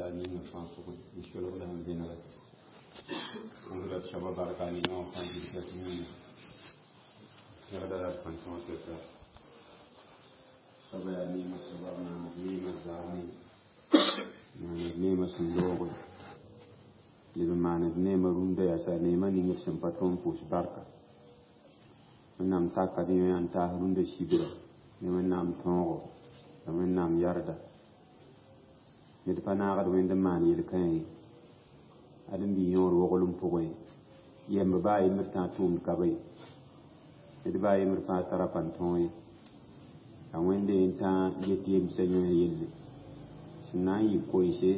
La ninga fãa pʋgẽ n solg la n vẽnega pʋʋsda d soaba barka ninga wã fãa gilga dũniyã pẽgda la d pãn-tõog tɩ soaba yaa neemã soaba b maand neemã zaame maand neemã sẽn looge leb n maand neemã rũndã yaa sa neemã ning d sẽn pa tõe n pʋʋs barka. Wẽnnaam taka d yõ n taas rũndã sibra ne Wẽnnaam tõogo la Wẽnnaam yarda. Ned pa naagd Wẽnd n maan yel-kãe ye. Ãdem-bi yõod woglem pʋgẽ yɛmb baa yembr tã tʋʋmd ka be, ned baa yembr fãa tara pãn-tõog ye. La Wẽnde n tã get yemsã yõ yelle sẽn na n yɩ koense,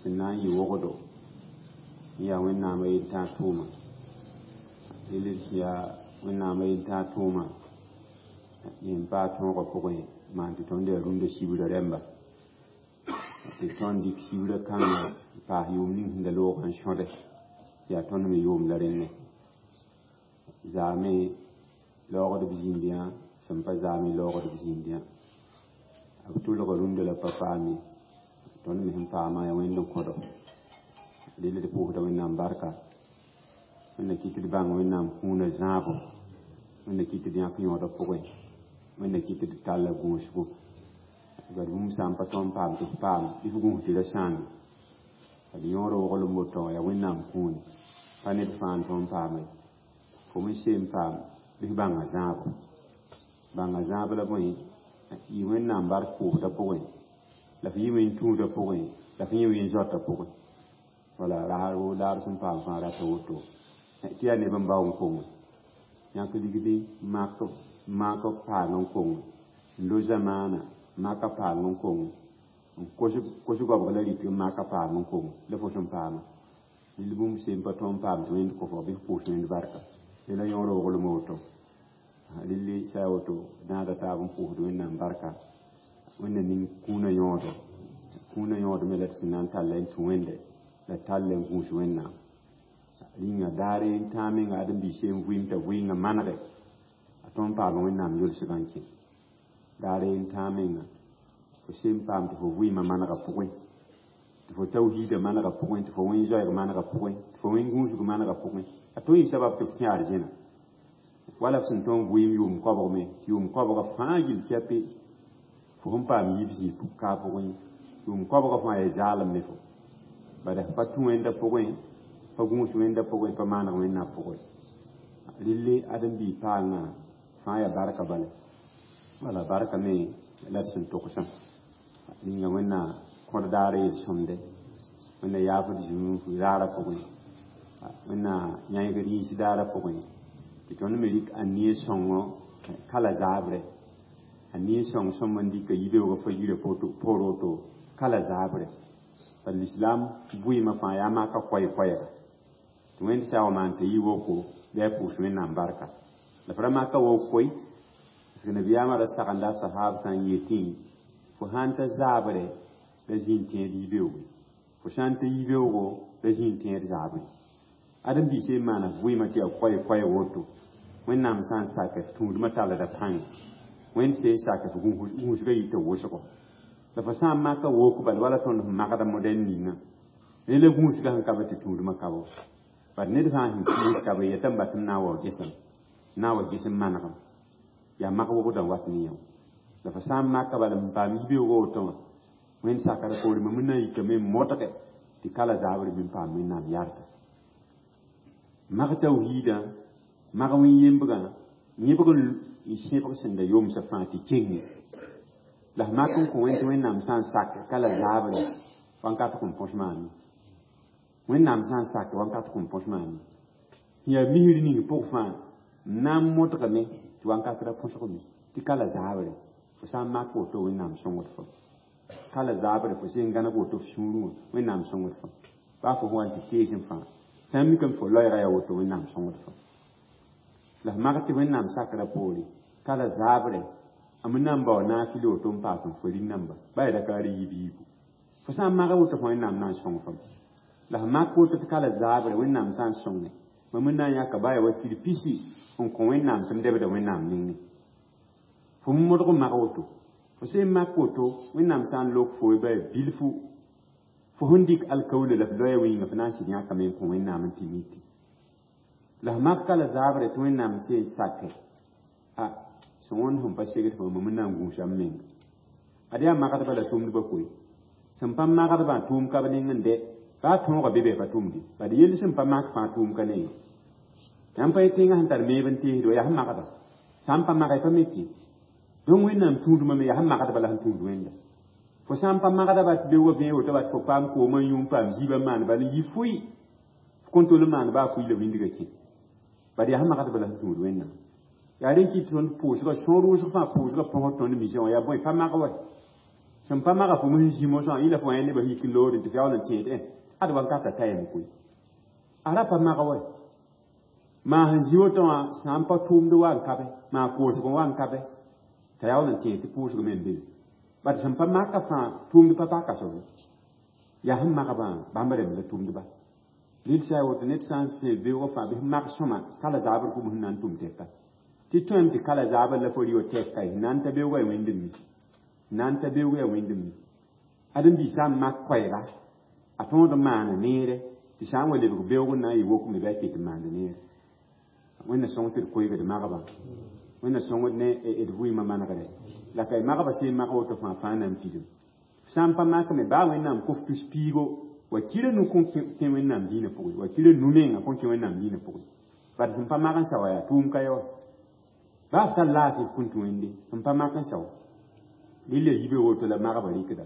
sẽn na n yɩ wogdo, n yaa Wẽnnaam a yel-tã tʋʋma. Rel sẽn yaa Wẽnnaam a yel-tã tʋʋma yẽ n paa tõogã pʋgẽ maan tɩ tõnd yaa rũndã sibra rẽmba tɩ tõnd dɩk sibra kãngã n paas yʋʋm ning sẽn da loogã n sõde tɩ yaa tõnd me yʋʋm la rẽnnẽ. Zaame laoogdb zĩnd yã sẽn pa zaame laoogdb zĩnd yã. B tʋlga rũndã la pa paam ye. Tõnd me sẽn paamã yaa Wẽnd n kõdo. Rel d pʋʋsda Wẽnnaam barka. Wẽnna kɩt tɩ d bãng Wẽnnaam kũunã zãabo. Wẽnna kɩt tɩ d yãk yõodã pʋgẽ. Wẽnna kɩt tɩ d talla gũusgo. Bad bũmb sã n pa tõe n paam tɩ f paam bɩ f gũus tɩ ra sãame. D yõod woglem woto yaa Wẽnnaam kũuni. Pa ned fãa n tõe n paama ye. Fo me seen paam bɩ f bãnga zãabo. Bãnga zãab la bõe yɩ Wẽnnaam bark pʋʋsdã pʋgẽ, la f yɩ wẽn-tũudã pʋgẽ, la f yẽ wẽn-zoatã pʋgẽ. Wala rasr laar sẽn paam fãa rata woto tɩ yaa neb n bao n konge yãk ligdi mak paang n konge n lo zamaana maka paang n konge n kos goabg la rɩk n maka paang n konge la fo sẽn paama. Rel bũmb sẽn pa tõe n paam tɩ Wẽnd kõ fo bɩ f pʋʋs Wẽnd barka. Rela yõor woglem woto. Rel sã yaa woto naada taab n pʋʋsd Wẽnnaam barka. Wẽnna ning kũunã yõodo. Kũunã yõod me la d sẽn na n tall n tũ Wẽnde la tall n gũus Wẽnnaam. Rĩnga daare n tãag menga ãdem-biis n vɩɩm t'a vɩɩngã manege a tõe n paama Wẽnnaam yolsgã n kẽ. Daare n tãag menga fo sẽn paam tɩ fo vɩɩmã manegã pʋgẽ, tɩ fo tawhiidã manegã pʋgẽ, tɩ fo wẽn-zoɛɛg manegã pʋgẽ, tɩ fo wẽn-gũusg manegã pʋgẽ. A tõe n yɩ sabab tɩ f kẽ arzẽna. Wala f sẽn tõe n vɩɩm yʋʋm koabg me, tɩ yʋʋm koabgã fãa gill kɛpe fo sẽn paam yiib zĩig ka pʋgẽ, yʋʋm koabgã fãa yaa zaalem ne fo. Bala f pa tũ Wẽndã pʋgẽ, pa gũus Wẽndã pʋgẽ, pa maaneg Wẽnnaam pʋgẽ. Relle ãdem-biig paangã fãa yaa barka bala. Wala barka me la d sẽn togsã. Ninga Wẽnna kõd daar yel-sõmde. Wẽnna yaafd zũnug raarã pʋgẽ. Wẽnna yãegd yĩns daarã pʋgẽ. Tɩ tõnd me rɩk a nie sõngo kala zaabre. A nie sõng sõm n dɩka yibeoogã fa yirã poor woto kala zaabre. Bala lislaam vɩɩmã fãa yaa maka koɛɛ-koɛɛga. Tɩ Wẽnd sã n wa maan tɩ yɩ woko bɩ a pʋʋs Wẽnnaam barka. La f ra maka wok koe parce que nabiyaamã ra sagenda a sahaab sã n yetẽ fo sãn ta zaabre la zĩ n tẽed yibeooge. Fo sã n ta yibeoogo la zĩ n tẽed zaabre. Ãdem-biis n maana f vɩɩmã tɩ yaa koɛɛ-koɛɛg woto. Wẽnnaam sã n sak f tũudmã tallda pãnga. Wẽnd sẽn sak f gũusgã yita wʋsgo. La fo sã n maka wok bala wala tõnd sẽn magda modɛl ninga. Rẽ la gũusgã sẽn ka be tɩ tũudmã ka bo. Bad ned fãa sẽn kiis ka be yetame bat m na n wa gesem, na n wa gesem manegem. Yaa mak wogdã n wat ne yã. La fo sã n maka bala n paam yibeoogã woto wã, Wẽnd sakra poore mam n na n yikame n modge tɩ kala zaabre bɩ n paam Wẽnnaam yarda. Mag tawhiidã, mag wẽn-yembgã, yẽbg n sẽbg sẽn da yomsã fãa tɩ kenge. La f mak n kõ Wẽnd tɩ Wẽnnaam sã n sak kala zaabre wãnkat kõn põs maame. Wẽnnaam sã n sak wãnkat kõn põs maame. Yaa misr ning pʋg fãa n na n modgame tɩ wãnkat ra põsgme tɩ kala zaabre fo sã n mak woto Wẽnnaam sõngd fo. Kala zaabre fo sẽn gãneg woto f sũurẽ wã Wẽnnaam sõngd fo. Baa fo sẽn wa n tɩ teesẽ fãa sã n mikame fo loɛɛgã yaa woto Wẽnnaam sõngd fo. La f mak tɩ Wẽnnaam sakrã poore kala zaabre a me na n bao naafɩl woto n paas n fo rĩn-namba ba yaa raka ra yiib yiibu. Fo sã n maga woto fo Wẽnnaam na n sõng fam. La f mak woto tɩ kala zaabre Wẽnnaam sã n sõnge mam n na n yãka baa yaa wa kir pisi n kõ Wẽnnaam tɩ m debda Wẽnnaam nengẽ. Fo modg n mag woto. Fo sẽn mak woto Wẽnnaam sã n lok fo baa bilfu Fo sẽn dɩk alkaoolo la f loɛɛ wĩnga f na n sɩd yãkame n kõ Wẽnnaam n tɩ miki. La f mak ka la zaabre tɩ Wẽnnaam seen sake. A sẽn wõnd sẽn pa segd fo mam n na n gũusa m menga. Ad yaa magdbã la tʋmdbã koe. Sẽn pa magdbã tʋʋm ka b neng n dɛ, baa tõogã be bɩ pa tʋmde. Bad yell sẽn pa mak fãa tʋʋm ka nengẽ. Yãmb pa yet tẽngã sẽn tar meeb n teesd wa, yaa sẽn magda. Sã n pa mage pa mi tɩ. Donc Wẽnnaam tũudmã me yaa sẽn magdba la sẽn tũud Wẽnda. Fo sã n pa magda ba tɩ beoogã vẽe woto ba tɩ fo paam koomã n yũ n paam ziibã n maan bala n yi fʋɩ. F kõn tol n maan baa fʋɩ la wĩndgã kẽ. Bad yaa sẽn magdba la sẽn tũud Wẽnnaam. Yaa rẽ kɩt tõnd pʋʋsgã sõor wʋsg fãa pʋʋsgã põsg tõnd misã wã yaa bõe pa mag wa. Sẽn pa maga fo sẽn zĩ mosã yẽ la fo yã nebã yik n loore tɩ f yaool n tẽed ad wankata ta yem koe. A ra pa mag wa. Maa sẽn zĩ woto wã sã n pa tʋʋmd wa n ka be, maa koosg wa n ka be, t'a yaool n tẽed tɩ pʋʋsg me n be. Bad sẽn pa maka fãa tʋʋmd pa paka soab ye. Yaa sẽn magbã bãmb rẽmb la tʋʋmdba. Rɩl sã n woto ned sã n fẽ beoogã fãa bɩ mag sõma ka la zaabr fo sẽn na n tʋm tɛka. Tɩ tõem tɩ ka la zaabr la fo rɩ wa tɛka ye, na n ta beoogã yaa wẽnd mi. Na n ta beoogã yaa wẽnd mi. Ãdem-biig sã n mak koɛɛga, a tõod n maana neere, tɩ sã n wa lebg beoog n na n yɩ wok me bɩ a ket n maanda neere. Wẽnna sõng tɩ d koeega d magbã. Wẽnna sõngd ne d vɩɩmã manegre. La ka y magbã sẽn mag woto fãa fãa na n pidim. Sã n pa mak me baa Wẽnnaam kʋf tus piigo, wa kira nu kõn kẽ Wẽnnaam dĩinã pʋgẽ, wa kira nu menga kõn kẽ Wẽnnaam dĩinã pʋgẽ. Bad sẽn pa mag n sao yaa tʋʋm ka ye wa. Baa f tar laafɩ f kõn tũ Wẽnde, sẽn pa mak n sao. Rɩla yibe woto la magbã rɩkda.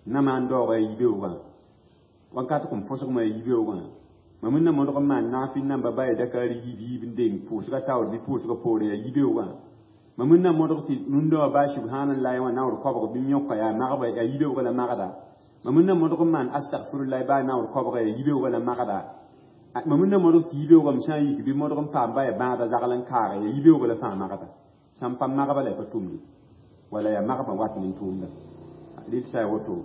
Na maan daoogã yaa yibeoogã, wakat kõn põsgmã yaa yibeoogã, mam n na modg n maan naafɩ namba ba yaa dakaar yiib yiib n deng pʋʋsgã taoor bɩ pʋʋsgã poorẽ yaa yibeoogã. Mam n na modg tɩ rũndã wã baa subhanallah wã naoor koabg bɩ yõka yaa magba yaa yibeoogã la magda. Mam n na modg n maan astagfirullah baa naoor koabga yaa yibeoogã la magda. Mam n na modg tɩ yibeoogã m sã n yik bɩ modg n paam ba yaa bãada zagl n kaaga yaa yibeoogã la fãa magda. Sã n pa magba la y pa tʋmde. Wala yaa magba wat ne tʋʋmda. Rɩl sã ya woto.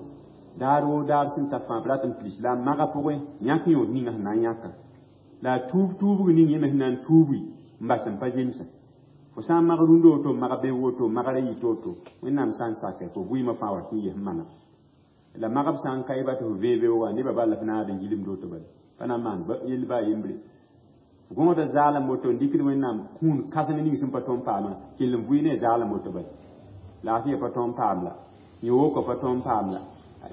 Daar woo daar sẽn ta fãa b rat n tɩ lislaam maga pʋgẽ yãk yõod ninga sẽn na n yãka. La a tuub tuubg ning yẽ me sẽn na n tuubi n bas n pa zemsa. Fo sã n mag rũndã woto, n mag beoog woto, n magra yit woto, Wẽnnaam sã n sake, fo vɩɩmã fãa wat n yɩs n mana. La magb sã n ka ye ba tɩ fo vẽe beoogã, nebã bal la f naad n gilmd woto bala. Pa na n maan yell baa yembre. Fo gõosda zaalem woto n dɩkd Wẽnnaam kũun kãsem ning sẽn pa tõe n paamã, kell n vʋɩ ne zaalem woto bala. Laafɩya pa tõe n paam la, yõ-wokã pa tõe n paam la.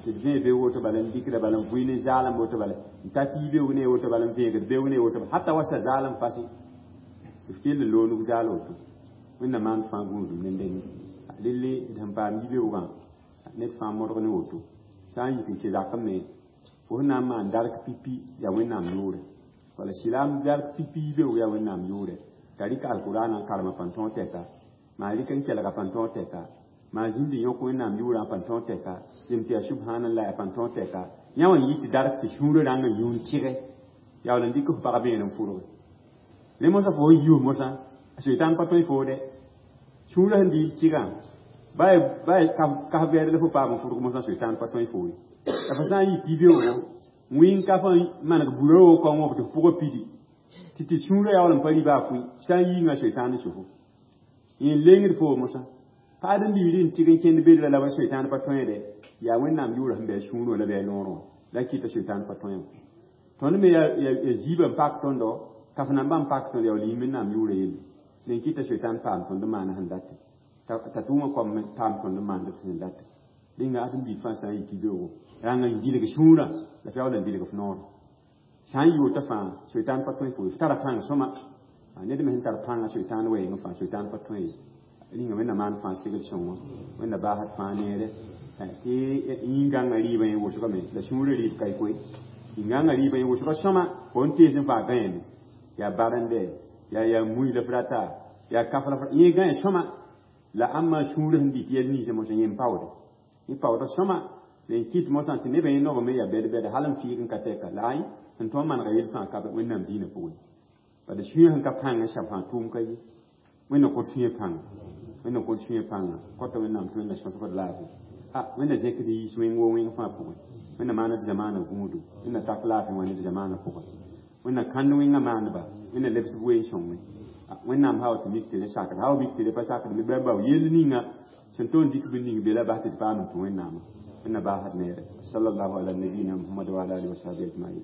Tɩ d vẽe beoog woto bala n dɩkda bala n vʋɩ ne zaalem woto bala, n ta tɩ beoog ne woto bala n vẽegd beoog ne woto bala, hata wa sa zaalem fasẽ. Tɩ f kell n loog nug zaal woto. Wẽnnaam maan fãa gũudum ne dẽnde. Relle d sẽn paam yibeoogã, ned fãa modg ne woto. Sã n yik n kẽ zakẽ me, fo sẽn na n maan dark pipi yaa Wẽnnaam yʋʋrɛ. Wala sɩlaam dark pipi yibeoog yaa Wẽnnaam yʋʋrɛ. T'a rɩk alkʋraanã n karem a pãn tõog tɛka, maa rɩk n kelg a pãn tõog tɛka, maa zĩnd n yõk Wẽnnaam yʋʋrã a pãn tõog tɛka, yem tɩ yaa subhanallah a pãn tõog tɛka. Yã wã n yɩ tɩ dark tɩ sũurã rãng n yũ n tɩge, yaool n dɩk f pag beene n fʋrge. Rẽ mosã fo sẽn yiis mosã, a Sʋɩtãan pa tõe foo dɛ. Sũurã sẽn dɩ n tɩgã, baa kas vɛɛd la fo paam n fʋrg mosã, Sʋɩtãan pa tõe foo ye. La fo sã n yik yibeoogo, n wɩ n ka fo n maneg burã wokã wã tɩ f pʋgã pidi, tɩ sũurã yaool n pa rɩ baa fʋɩ, sã n yiingã Sʋɩtãan n sofo. Yẽ n lengd foo mosã. Pa ãdem-biigr n tɩg n kẽnd bedrã la wa Sʋɩtãan pa tõe dɛ, yaa Wẽnnaam yʋʋrã sẽn be a sũurẽ wã la bɩ a noorẽ wã, la kɩta Sʋɩtãan pa tõe wã. Tõnd me yaa ziibã n pak tõndo, kaf nambã n pak tõnd yaool yĩng Wẽnnaam yʋʋrã yelle. Rẽ kɩta Sʋɩtãan paam tõnd n maana sẽn date. T'a tʋʋmã koam me paam tõnd n maanda sẽn date. Rẽnga ãdem-biig fãa sã n yik beoogo, rãng n gilg sũurã, la f yaool n bilg f noorã. Sã n yɩ woto fãa, Sʋɩtãan pa tõe fo ye. F tara pãng sõma. Ned me sẽn tar pãngã Sʋɩtãan wɛɛngẽ fãa, Sʋɩtãan pa tõe ye. Rĩnga Wẽnnaam maan fãa segl sõngo, Wẽnna baasd fãa neere. Tɩ yĩn-gãngã rɩɩbã yẽ wʋsgame, la sũurã rɩɩb ka y koe. Yĩn-gãngã rɩɩbã yẽ wʋsga sõma, fo n tees n faa gãeeme. Yaa barende, yaa mui la f rata, yaa kaf la f yẽ gãe sõma. La ãmba sũurã sẽn dɩt yɛl ninsã mosã yẽ n paoode. Yẽ paooda sõma, la n kɩt mosã tɩ nebã yẽ noog me yaa bɛd-bɛd hal n fiig n ka tɛka. La ay, sẽn tõe n manega yell fãa ka be Wẽnnaam dĩinã pʋgẽ. Bala sũyã sẽn ka pãng n sãb fãa tʋʋm ka ye. Wẽnnaam kõt sũyã pãnga. Wẽnnaam kõt sũyã pãnga. Kõta Wẽnnaam tɩ Wẽnna sõsgd laafɩ. A, Wẽnna zẽkd yiis wẽng woo wẽng fãa pʋgẽ. Wẽnna maana d zamaana gũudu. Wẽnna tak laafɩ wã ne d zamaana pʋgẽ. Wẽnna kãnd wẽngã maandba. Wẽnna lebs b ween sõngẽ. Wẽnnaam hawa tɩ mik tɩ rẽ sakd. Hawa mik tɩ rẽ pa sakd me bãmb bao yell ninga sẽn tõe n dɩk bĩn ning be la bas tɩ d paam n tũ Wẽnnaamã. Wẽnna baasd neere. Sallallahu ala nabiyina Muhammad wa ala alihi wa sahbihi ajma'in.